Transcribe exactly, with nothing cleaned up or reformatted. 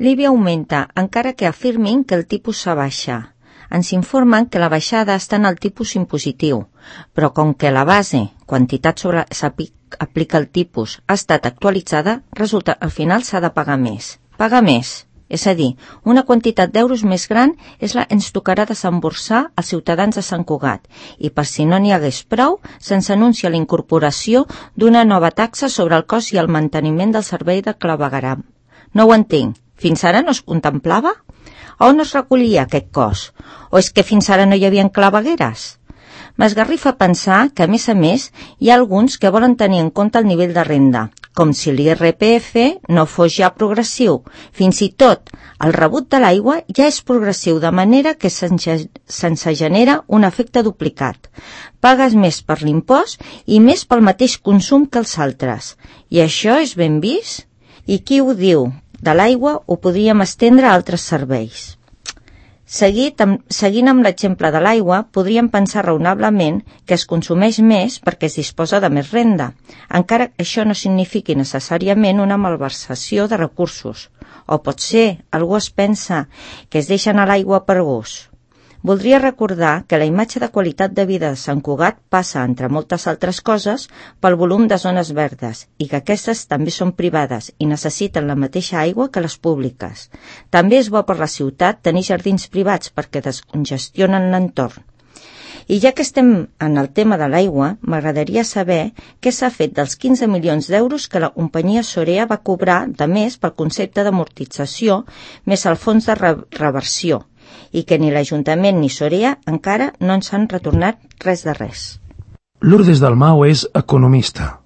L'I B I augmenta, encara que afirmin que el tipus s'abaixa. Ens informen que la baixada està en el tipus impositiu, però com que la base, quantitat sobre s'aplica el tipus, ha estat actualitzada, resulta que al final s'ha de pagar més. Pagar més, és a dir, una quantitat d'euros més gran és la que ens tocarà desemborsar als ciutadans de Sant Cugat, i per si no n'hi hagués prou, se'ns anuncia la incorporació d'una nova taxa sobre el cost i el manteniment del servei de clavegueram. No ho entenc. Fins ara no es contemplava? On es recollia aquest cost? O és que fins ara no hi havia clavegueres? M'esgarrifa pensar que, a més a més, hi ha alguns que volen tenir en compte el nivell de renda, com si l'I R P F no fos ja progressiu. Fins i tot, el rebut de l'aigua ja és progressiu, de manera que se'ns genera un efecte duplicat. Pagues més per l'impost i més pel mateix consum que els altres. I això és ben vist? I qui ho diu? De l'aigua ho podríem estendre a altres serveis. Seguit, amb, seguint amb l'exemple de l'aigua, podríem pensar raonablement que es consumeix més perquè es disposa de més renda, encara que això no signifiqui necessàriament una malversació de recursos. O potser algú es pensa que es deixen a l'aigua per gust. Voldria recordar que la imatge de qualitat de vida de Sant Cugat passa, entre moltes altres coses, pel volum de zones verdes i que aquestes també són privades i necessiten la mateixa aigua que les públiques. També és bo per la ciutat tenir jardins privats perquè descongestionen l'entorn. I ja que estem en el tema de l'aigua, m'agradaria saber què s'ha fet dels quinze milions d'euros que la companyia Sorea va cobrar de més pel concepte d'amortització més el fons de re reversió, i que ni l'Ajuntament ni Sorea encara no ens han retornat res de res. Lourdes Dalmau és economista.